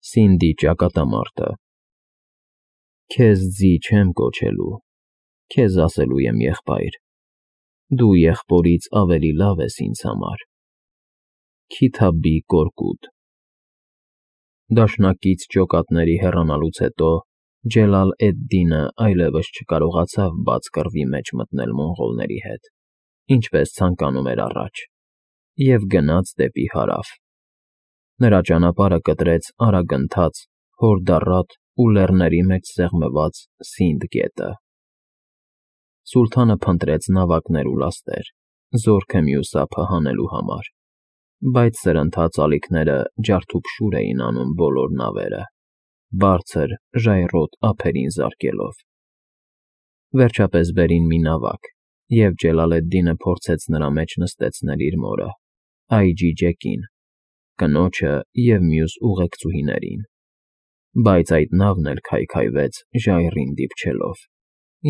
Սինդի ճակատամարտը։ Քեզ ձի չեմ կոչելու, քեզ ասելու եմ եղբայր, դու եղբորից ավելի լավ ես ինձ համար։ Քիթաբի Կորկուտ։ Դաշնակից ջոկատների հեռանալուց հետո Ջելալ էդ֊Դինը այլևս չկարողացավ բաց կռվի մեջ մտնել մոնղոլների հետ, ինչպես ցանկանում էր առաջ, և գնաց դեպի հարավ։ Նրա ճանապարհը կտրեց արագընթաց, հորդառատ ու լեռների մեջ սեղմված Սինդ գետը։ Սուլթանը փնտրեց նավակներ ու լաստեր, զորքը մյուս ափը հանելու համար, բայց սրընթաց ալիքները ջարդուփշուր էին անում բոլոր նավերը, բարձր, ժայռոտ ափերին զարկելով։ Վերջապես բերին մի նավակ, և Ջելալ էդ֊Դինը փորձեց նրա մեջ նստեցնել իր մորը, Այջի Ջեկին, կնոջը և մյուս ուղեկցուհիներին, բայց այդ նավն էլ քայքայվեց ժայռին դիպչելով,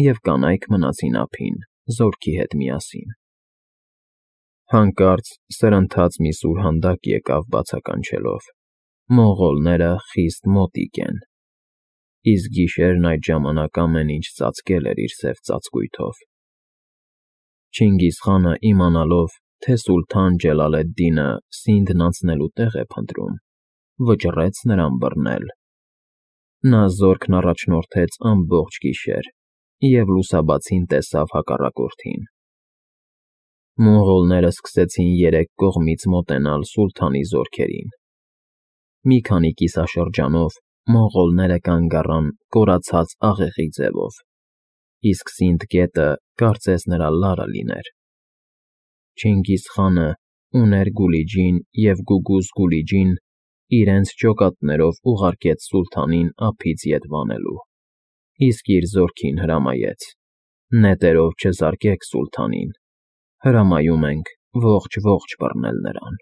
և կանայք մնացին ափին զորքի հետ միասին։ Հանկարծ սրընթաց մի սուրհանդակ եկավ բացականչելով. «Մոնղոլները խիստ մոտիկ են»։ Իսկ գիշերն այդ ժամանակ ամեն ինչ ծածկել էր իր սև ծածկույթով։ Չինգիզ խանը, իմանալով, թե սուլթան Ջելալ էդ֊Դինը Սինդն անցնելու տեղ է փնտրում, վճռեց նրան բռնել։ Նա զորքն առաջնորդեց ամբողջ գիշեր և լուսաբացին տեսավ հակառակորդին։ Մոնղոլները սկսեցին երեք կողմից մոտենալ սուլթանի զորքերին։ Մի քանի կիսաշրջանով մոնղոլները կանգ առան կորացած աղեղի ձևով, իսկ Սինդ գետը կարծես նրա լարը լիներ։ Չինգիզ խանը ուներ Գուլիջին և Գուգուզ Գուլիջին իրենց ջոկատներով ուղարկեց սուլթանին ափից ետ վանելու, իսկ իր զորքին հրամայեց. «Նետերով չզարկեք սուլթանին, հրամայում ենք ողջ բռնել նրան»։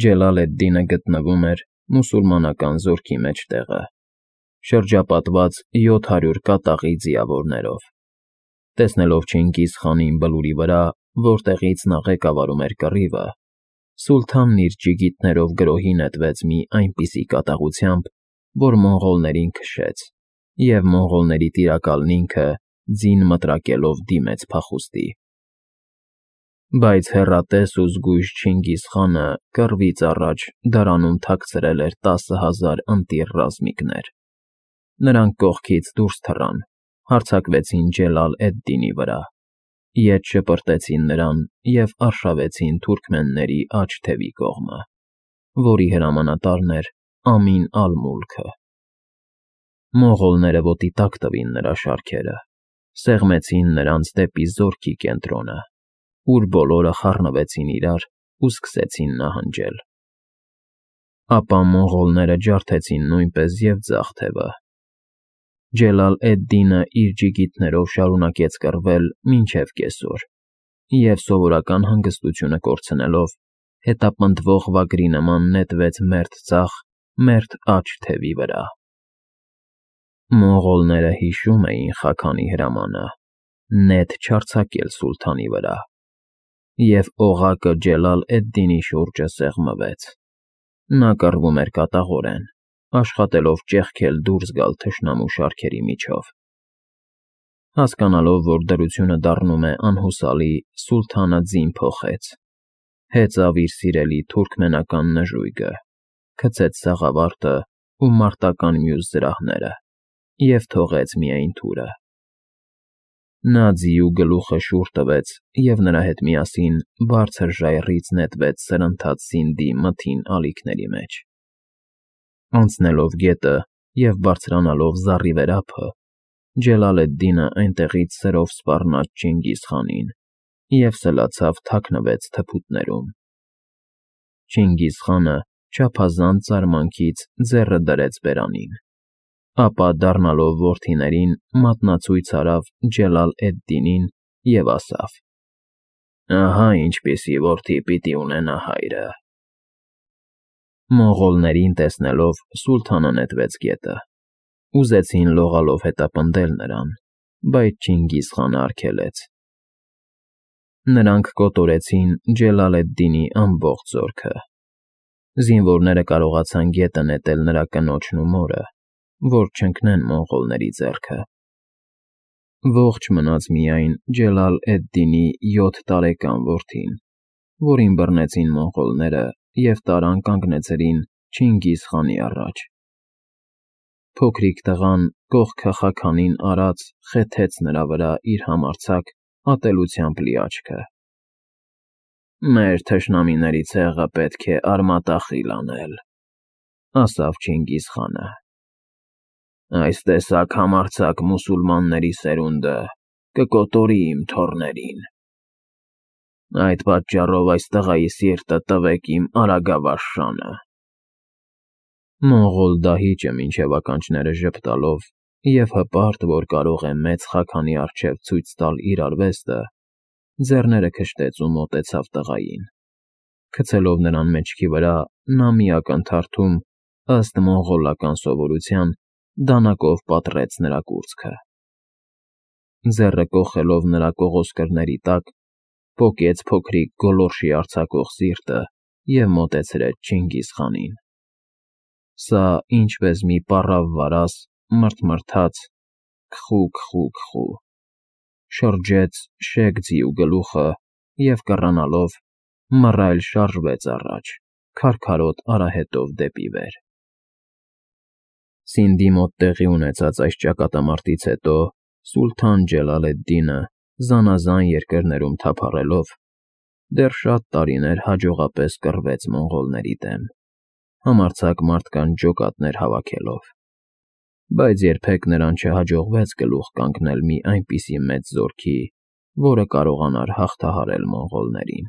Ջելալ էդ֊Դինը գտնվում էր մուսուլմանական զորքի մեջտեղը, շրջապատված 700 կատաղի ձիավորներով։ Տեսնելով Չինգիզ խանին բլուրի վրա, որտեղից նա ղեկավարում էր կռիվը, սուլթանն իր ջիգիտներով գրոհի նետվեց մի այնպիսի կատաղությամբ, որ մոնղոլներին քշեց, և մոնղոլների տիրակալն ինքը, ձին մտրակելով, դիմեց փախուստի։ Բայց հեռատես ու զգույշ Չինգիզ խանը կռվից առաջ դարանում թաքցրել էր 10,000 ընտիր ռազմիկներ։ Նրանք կողքից դուրս թռան, հարձակվեցին Ջելալ էդ֊Դինի վրա, ետ շպրտեցին նրան և արշավեցին թուրքմենների աջ թևի կողմը, որի հրամանատարն էր Ամին ալ֊Մուլքը։ Մոնղոլները ոտի տակ տվին նրա շարքերը, սեղմեցին նրանց դեպի զորքի կենտրոնը, ուր բոլորը խառնվեցին իրար ու սկսեցին նահանջել։ Ապա մոնղոլները ջարդեցին նույնպես և ձախ թևը։ Ջելալ էդ֊Դինը իր ջիգիտներով շարունակեց կռվել մինչև կեսօր և, սովորական հանգստությունը կորցնելով, հետապնդվող վագրի նման նետվեց մերթ ձախ, մերթ աջ թևի վրա։ Մոնղոլները հիշում էին Խաքանի հրամանը՝ նետ չարձակել սուլթանի վրա, և օղակը Ջելալ էդ֊Դինի շուրջը սեղմվեց։ Նա կռվում էր կատաղորեն, աշխատելով ճեղքել դուրս գալ թշնամու շարքերի միջով։ Հասկանալով, որ դրությունը դառնում է անհուսալի, սուլթանը ձին փոխեց, հեծավ իր սիրելի թուրքմենական նժույգը, գցեց սաղավարտը ու մարտական մյուս զրահները և թողեց միայն թուրը։ Նա ձիու գլուխը շուռ տվեց և նրա հետ միասին բարձր ժայռից նետվեց սրընթաց Սինդի մթին ալիքների մեջ։ Անցնելով գետը և բարձրանալով զառիվեր ափը, Ջելալ էդ֊Դինը այնտեղից սրով սպառնաց Չինգիզ խանին և սլացավ թաքնվեց թփուտներում։ Չինգիզ խանը չափազանց զարմանքից ձեռը դրեց բերանին, ապա, դառնալով որդիներին, մատնացույց արավ Ջելալ էդ֊Դինին և ասավ. «Ահա ինչպիսի որդի պիտի ունենա հայրը»։ Մոնղոլներին տեսնելով, սուլթանը նետվեց գետը։ Ուզեցին լողալով հետապնդել նրան, բայց Չինգիզ խանը արգելեց։ Նրանք կոտորեցին Ջելալ էդ֊Դինի ամբողջ զորքը։ Զինվորները կարողացան գետը նետել նրա կնոջն ու մորը, որ չընկնեն մոնղոլների ձեռքը։ Ողջ մնաց միայն Ջելալ-էդ-Դինի 7 տարեկան որդին, որին բռնեցին մոնղոլները և տարան կանգնեցրին Չինգիզ խանի առաջ։ Փոքրիկ տղան կողքը Խաքանին արած խեթեց նրա վրա իր համարձակ, ատելությամբ լի աչքը։ «Մեր թշնամիների ցեղը պետք է արմատախիլ անել», ասավ Չինգիզ խանը։ «Այս տեսակ համարձակ մուսուլմանների սերունդը կկոտորի իմ թոռներին։ Այդ պատճառով այս տղայի սիրտը տվեք իմ արագավարժանը»։ Մոնղոլ դահիճը մինչև ականջները ժպտալով և հպարտ, որ կարող է մեծ Խաքանի առջև ցույց տալ իր արվեստը, ձեռները քշտեց ու մոտեցավ տղային։ Գցելով նրան մեջքի վրա, նա մի ակնթարթում, ըստ մոնղոլական սովորության, դանակով պատռեց նրա կուրծքը։ Ձեռը կոխելով նրա կողոսկրների տակ, պոկեց փոքրիկ գոլորշի արձակող սիրտը և մոտեցրեց Չինգիզ խանին։ Սա, ինչպես մի պառավ վարազ, մռթմռթաց «քխու», շրջեց շեկ ձիու գլուխը և կռանալով մռայլ շարժվեց առաջ, քարքարոտ արահետով դեպի վեր։ Սինդի մոտ տեղի ունեցած այս ճակատամարտից հետո Սուլթան Ջելալ-էդ֊Դինը, զանազան երկրներում թափառելով, դեռ շատ տարիներ հաջողապես կռվեց մոնղոլների դեմ, համարձակ մարդկանց ջոկատներ հավաքելով, բայց երբեք նրան չհաջողվեց գլուխ կանգնել մի այնպիսի մեծ զորքի, որը կարողանար հաղթահարել մոնղոլներին։